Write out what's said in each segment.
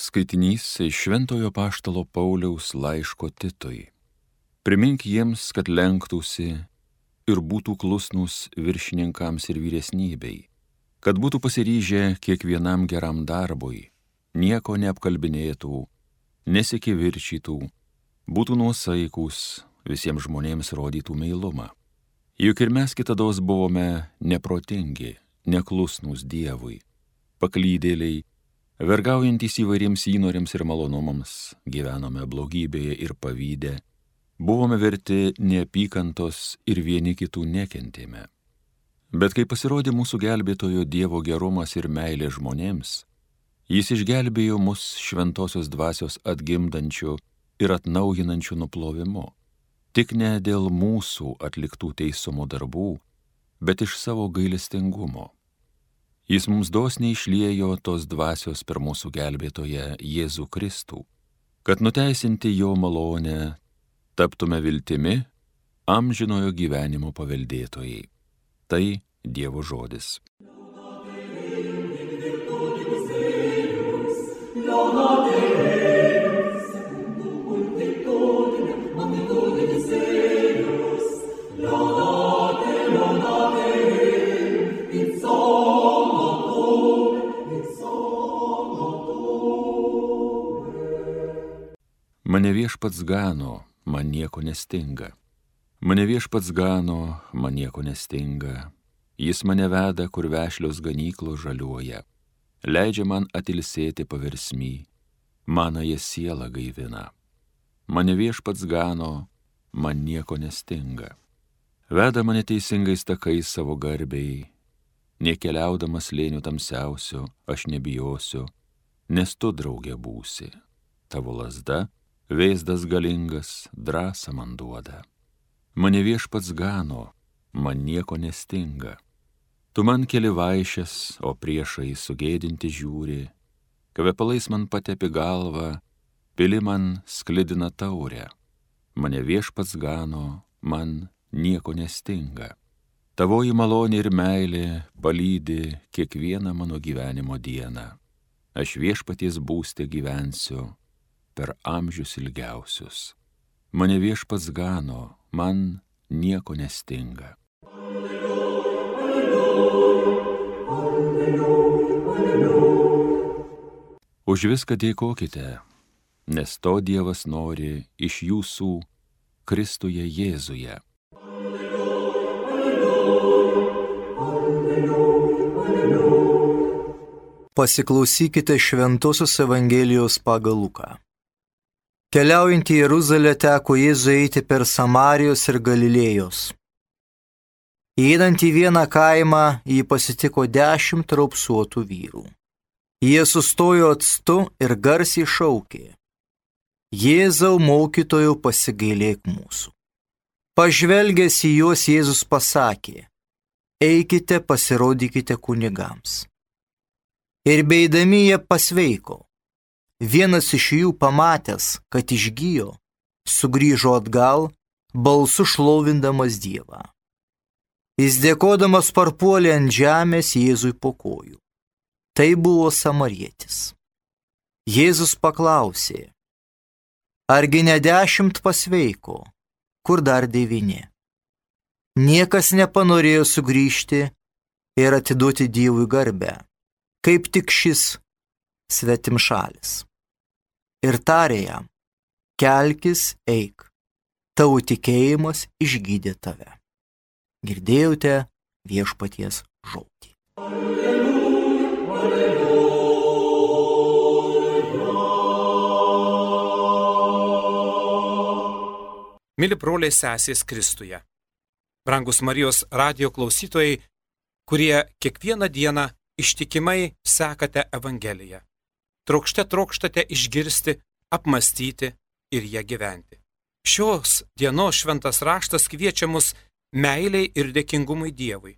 Skaitinys iš Šventojo Apaštalo Pauliaus laiško Titui. Primink jiems, kad lenktųsi ir būtų klusnūs viršininkams ir vyresnybei, kad būtų pasiryžę kiekvienam geram darbui, nieko neapkalbinėtų, nesikivirčytų, būtų nuosaikūs, visiems žmonėms rodytų meilumą. Juk ir mes kitados buvome neprotingi, neklusnūs Dievui, paklydėliai, vergaujantys įvairiems įnoriams ir malonumams, gyvenome blogybėje ir pavyde, buvome verti neapykantos ir vieni kitų nekentėme. Bet kai pasirodė mūsų gelbėtojo Dievo gerumas ir meilė žmonėms, jis išgelbėjo mus šventosios dvasios atgimdančiu ir atnaujinančiu nuplovimu, tik ne dėl mūsų atliktų teisumo darbų, bet iš savo gailestingumo. Jis mums dosniai išliejo tos dvasios per mūsų gelbėtoją Jėzų Kristų, kad nuteisinti jo malonę taptume viltimi amžinojo gyvenimo paveldėtojai. Tai Dievo žodis. Mane viešpats gano, man nieko nestinga. Mane viešpats gano, man nieko nestinga. Jis mane veda, kur vešlios ganyklos žaliuoja. Leidžia man atilsėti paversmy, manąją sielą gaivina. Mane viešpats gano, man nieko nestinga. Veda mane teisingais takais savo garbei. Nekeliaudamas slėnių tamsiausių, aš nebijosiu, nes tu draugė būsi. Tavo lazda, vėzdas galingas, drąsą man duoda. Mane viešpats gano, man nieko nestinga. Tu man keli vaišes, o priešai sugėdinti žiūri. Kvepalais man patepi galvą, pili man sklidina taurę. Mane viešpats gano, man nieko nestinga. Tavoji malonė ir meilė palydi kiekvieną mano gyvenimo dieną. Aš viešpaties būste gyvensiu per amžius ilgiausius. Mane viešpats gano, man nieko nestinga. Už viską dėkokite, nes to Dievas nori iš jūsų Kristuje Jėzuje. Pasiklausykite Šventosios Evangelijos pagal Luką. Keliaujant į Jeruzalę teko Jėzui eiti per Samarijos ir Galilėjos. Įeinant į vieną kaimą, jį pasitiko 10 raupsuotų vyrų. Jie sustojo atstu ir garsiai šaukė: Jėzau, mokytojau, pasigailėk mūsų. Pažvelgęs į juos, Jėzus pasakė: Eikite, pasirodykite kunigams. Ir beeidami jie pasveiko. Vienas iš jų, pamatęs, kad išgijo, sugrįžo atgal, balsu šlovindamas Dievą. Jis dėkodamas parpuolė ant žemės Jėzui po kojų. Tai buvo samarietis. Jėzus paklausė: Argi ne 10 pasveiko, kur dar 9? Niekas nepanorėjo sugrįžti ir atiduoti Dievui garbę, kaip tik šis svetimšalis. Ir tarė jam: Kelkis, eik, tavo tikėjimas išgydė tave. Girdėjote viešpaties žodį. Mili broliai sesės Kristuje, brangus Marijos radijo klausytojai, kurie kiekvieną dieną ištikimai sekate Evangeliją. Trokštate išgirsti, apmąstyti ir ją gyventi. Šios dienos šventas raštas kviečia mus meiliai ir dėkingumui Dievui,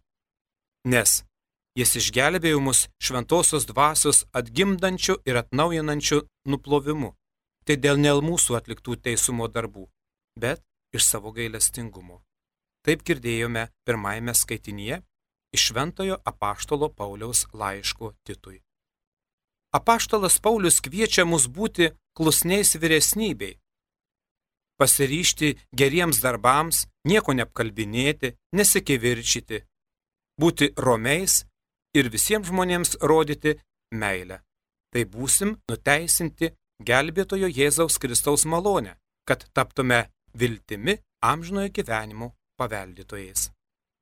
nes jis išgelbėjo mus šventosios dvasios atgimdančiu ir atnaujinančiu nuplovimu. Tai dėl ne mūsų atliktų teisumo darbų, bet iš savo gailestingumo. Taip girdėjome pirmajame skaitinyje iš Šventojo Apaštalo Pauliaus laiško Titui. apaštalas Paulius kviečia mus būti klusniais vyresnybei, pasiryžti geriems darbams, nieko neapkalbinėti, nesikivirčyti, būti romiais ir visiems žmonėms rodyti meilę. Tai būsim nuteisinti gelbėtojo Jėzaus Kristaus malonę, kad taptume viltimi amžinojo gyvenimo paveldėtojais.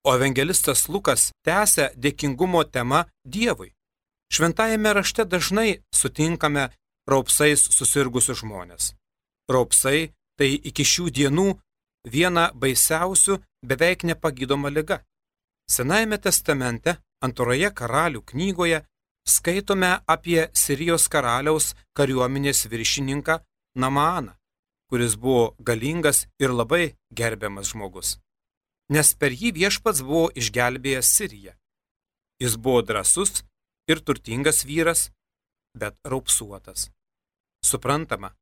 O evangelistas Lukas tęsia dėkingumo temą Dievui. Šventajame rašte dažnai sutinkame raupsais susirgusius žmonės. Raupsai tai iki šių dienų viena baisiausių beveik nepagydoma liga. Senajame testamente, antroje karalių knygoje, skaitome apie Sirijos karaliaus kariuomenės viršininką Namaaną, kuris buvo galingas ir labai gerbiamas žmogus. Nes per jį viešpats buvo išgelbėjęs Siriją. Jis buvo drąsus ir turtingas vyras, bet raupsuotas. Suprantama,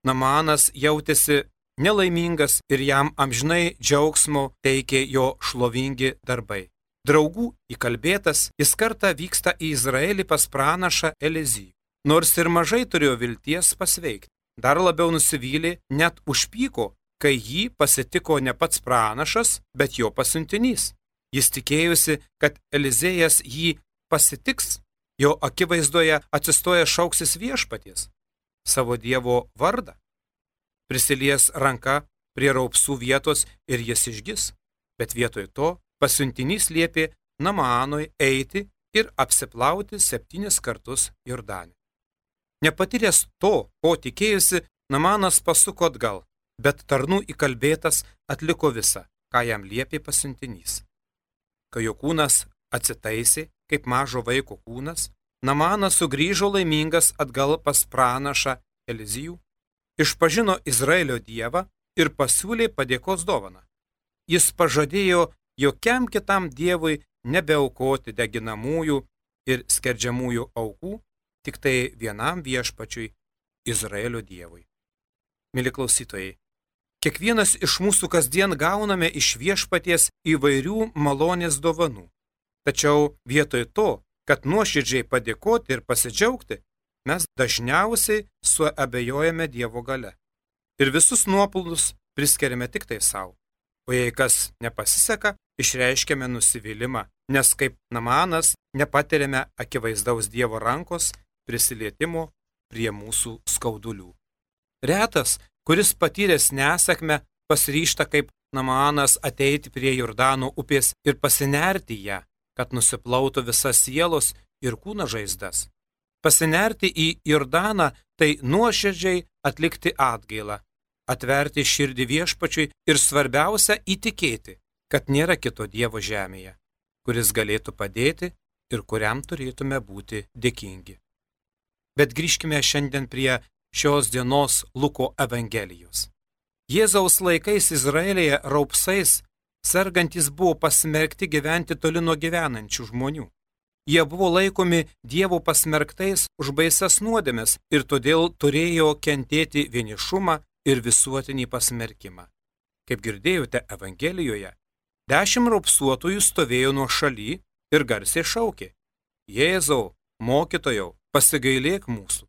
Namaanas jautėsi nelaimingas ir jam amžinai džiaugsmo teikė jo šlovingi darbai. Draugų įkalbėtas, jis kartą vyksta į Izraelį pas pranašą Elizijų. Nors ir mažai turėjo vilties pasveikti, dar labiau nusivylė, net užpyko, kai jį pasitiko ne pats pranašas, bet jo pasiuntinys. Jis tikėjusi, kad Elizėjas jį pasitiks, jo akivaizdoje atsistoja šauksis viešpaties, savo Dievo vardą. Prisilies ranka prie raupsų vietos ir jis išgis, bet vietoj to pasiuntinys liepė Namaanui eiti ir apsiplauti 7 kartus Jordane. Nepatyręs to, ko tikėjusi, Namaanas pasuko atgal, bet tarnų įkalbėtas atliko visą, ką jam liepė pasiuntinys. Kai jo kūnas atsitaisė, kaip mažo vaiko kūnas, Namaanas sugrįžo laimingas atgal pas pranašą Elizijų, išpažino Izraelio Dievą ir pasiūlė padėkos dovaną. Jis pažadėjo jokiam kitam dievui nebeaukoti deginamųjų ir skerdžiamųjų aukų, tik tai vienam viešpačiui Izraelio Dievui. Mili klausytojai, kiekvienas iš mūsų kasdien gauname iš viešpaties įvairių malonės dovanų. Tačiau vietoj to, kad nuoširdžiai padėkoti ir pasidžiaugti, mes dažniausiai suabejojame Dievo gale. Ir visus nuopelnus priskiriame tik tai savo. O jei kas nepasiseka, išreiškiame nusivylimą, nes kaip Namaanas nepatiriame akivaizdaus Dievo rankos prisilietimo prie mūsų skaudulių. Retas, kuris patyręs nesėkmę, pasiryžta kaip Namaanas ateiti prie Jordano upės ir pasinerti ją, kad nusiplautų visas sielos ir kūno žaizdas. Pasinerti į Jordaną tai nuoširdžiai atlikti atgailą, atverti širdį viešpačiui ir svarbiausia įtikėti, kad nėra kito Dievo žemėje, kuris galėtų padėti ir kuriam turėtume būti dėkingi. Bet grįžkime šiandien prie šios dienos Luko Evangelijos. Jėzaus laikais Izraelyje raupsais sergantys buvo pasmerkti gyventi toli nuo gyvenančių žmonių. Jie buvo laikomi Dievo pasmerktais už baisias nuodėmes ir todėl turėjo kentėti vienišumą ir visuotinį pasmerkimą. Kaip girdėjote Evangelijoje, 10 raupsuotojų stovėjo nuo šaly ir garsiai šaukė: Jėzau, mokytojau, pasigailėk mūsų.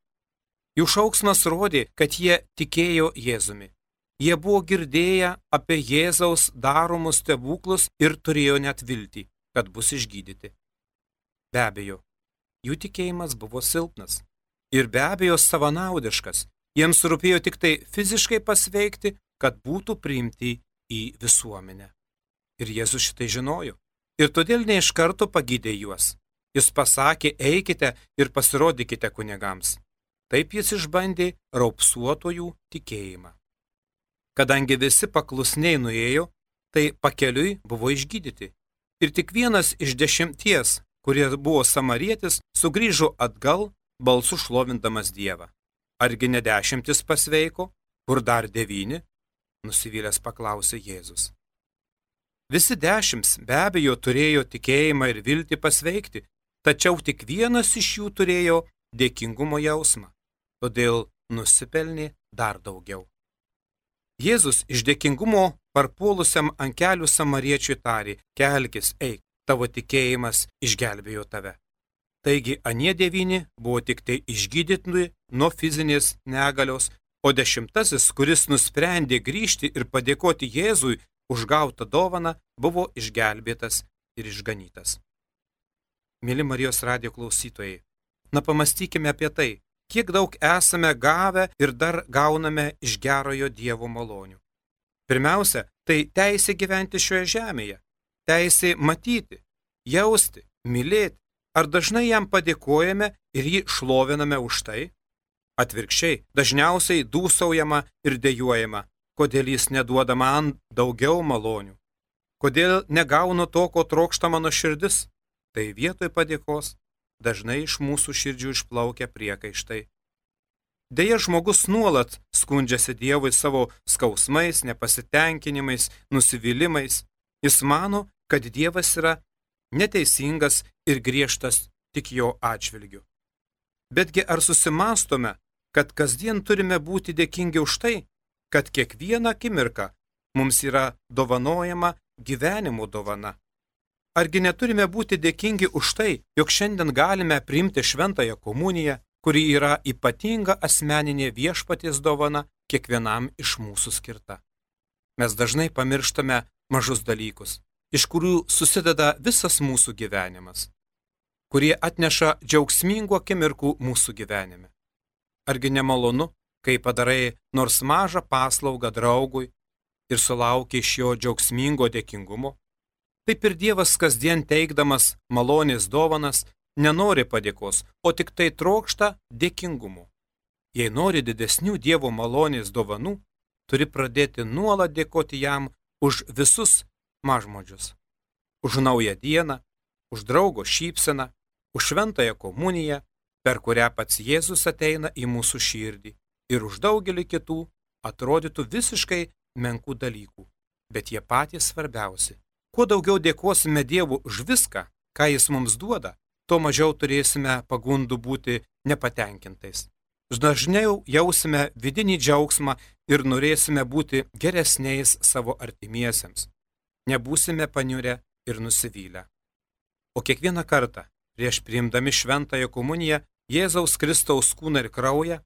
Jų šauksmas rodė, kad jie tikėjo Jėzumi. Jie buvo girdėję apie Jėzaus daromus stebuklus ir turėjo net viltį, kad bus išgydyti. Be abejo, jų tikėjimas buvo silpnas ir be abejo savanaudiškas. Jiems rūpėjo tik tai fiziškai pasveikti, kad būtų priimti į visuomenę. Ir Jėzus šitai žinojo. Ir todėl ne iš karto pagydė juos. Jis pasakė: eikite ir pasirodykite kunigams. Taip jis išbandė raupsuotojų tikėjimą. Kadangi visi paklusniai nuėjo, tai pakeliui buvo išgydyti. Ir tik vienas iš 10, kurie buvo samarietis, sugrįžo atgal, balsu šlovindamas Dievą. Argi ne 10 pasveiko, kur dar 9? Nusivylęs paklausė Jėzus. Visi 10 be abejo turėjo tikėjimą ir viltį pasveikti, tačiau tik vienas iš jų turėjo dėkingumo jausmą, todėl nusipelnė dar daugiau. Jėzus iš dėkingumo parpuolusiam ant kelių samariečiui tarė: kelkis, eik, tavo tikėjimas išgelbėjo tave. Taigi anie 9 buvo tik tai išgydyti nuo fizinės negalios, o 10, kuris nusprendė grįžti ir padėkoti Jėzui už gautą dovaną, buvo išgelbėtas ir išganytas. Mėly Marijos radijo klausytojai, pamastykime apie tai, kiek daug esame gavę ir dar gauname iš gerojo Dievo malonių. Pirmiausia, tai teisė gyventi šioje žemėje, teisė matyti, jausti, mylėti. Ar dažnai jam padėkojame ir jį šloviname už tai? Atvirkščiai, dažniausiai dūsaujama ir dejuojama, kodėl jis neduoda man daugiau malonių, kodėl negaunu to, ko trokšta mano širdis. Tai vietoj padėkos dažnai iš mūsų širdžių išplaukia priekaištai. Deja, žmogus nuolat skundžiasi Dievui savo skausmais, nepasitenkinimais, nusivylimais. Jis mano, kad Dievas yra neteisingas ir griežtas tik jo atžvilgiu. Betgi ar susimąstome, kad kasdien turime būti dėkingi už tai, kad kiekvieną akimirką mums yra dovanojama gyvenimo dovana? Argi neturime būti dėkingi už tai, jog šiandien galime priimti šventąją komuniją, kuri yra ypatinga asmeninė Viešpaties dovana kiekvienam iš mūsų skirta? Mes dažnai pamirštame mažus dalykus, iš kurių susideda visas mūsų gyvenimas, kurie atneša džiaugsmingų akimirkų mūsų gyvenime. Argi nemalonu, kai padarai nors mažą paslaugą draugui ir sulauki iš jo džiaugsmingo dėkingumo? Taip ir Dievas kasdien teikdamas malonės dovanas nenori padėkos, o tik tai trokšta dėkingumo. Jei nori didesnių Dievo malonės dovanų, turi pradėti nuolat dėkoti jam už visus mažmožius, už naują dieną, už draugo šypseną, už šventąją komuniją, per kurią pats Jėzus ateina į mūsų širdį, ir už daugelį kitų atrodytų visiškai menkų dalykų, bet jie patys svarbiausi. Kuo daugiau dėkosime Dievui už viską, ką Jis mums duoda, tuo mažiau turėsime pagundų būti nepatenkintais. Dažniau jausime vidinį džiaugsmą ir norėsime būti geresniais savo artimiesiems. Nebūsime paniurę ir nusivylę. O kiekvieną kartą, prieš priimdami šventąją komuniją, Jėzaus Kristaus kūną ir kraują,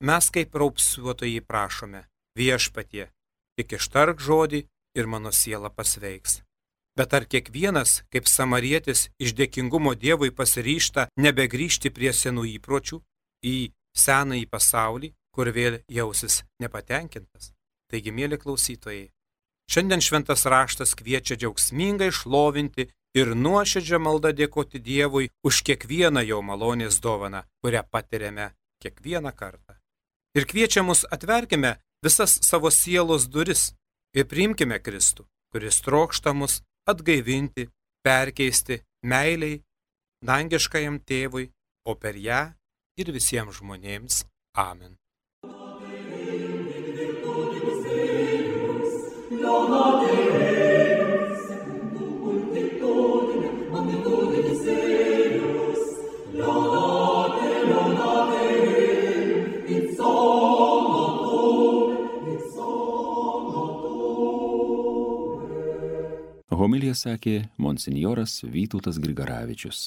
mes kaip raupsuotojai prašome: Viešpatie, tik ištark žodį ir mano siela pasveiks. Bet ar kiekvienas, kaip samarietis, iš dėkingumo Dievui pasiryžta nebegrįžti prie senų įpročių, į senąjį pasaulį, kur vėl jausis nepatenkintas? Taigi, mėly klausytojai, šiandien šventas raštas kviečia džiaugsmingai šlovinti ir nuoširdžią maldą dėkoti Dievui už kiekvieną jo malonės dovaną, kurią patiriame kiekvieną kartą. Ir kviečia mus: atverkime visas savo sielos duris ir priimkime Kristų, kuris trokšta mus atgaivinti, perkeisti meiliai dangiškajam tėvui, o per ją ir visiems žmonėms. Amen. Homiliją sakė monsinjoras Vytautas Grigaravičius.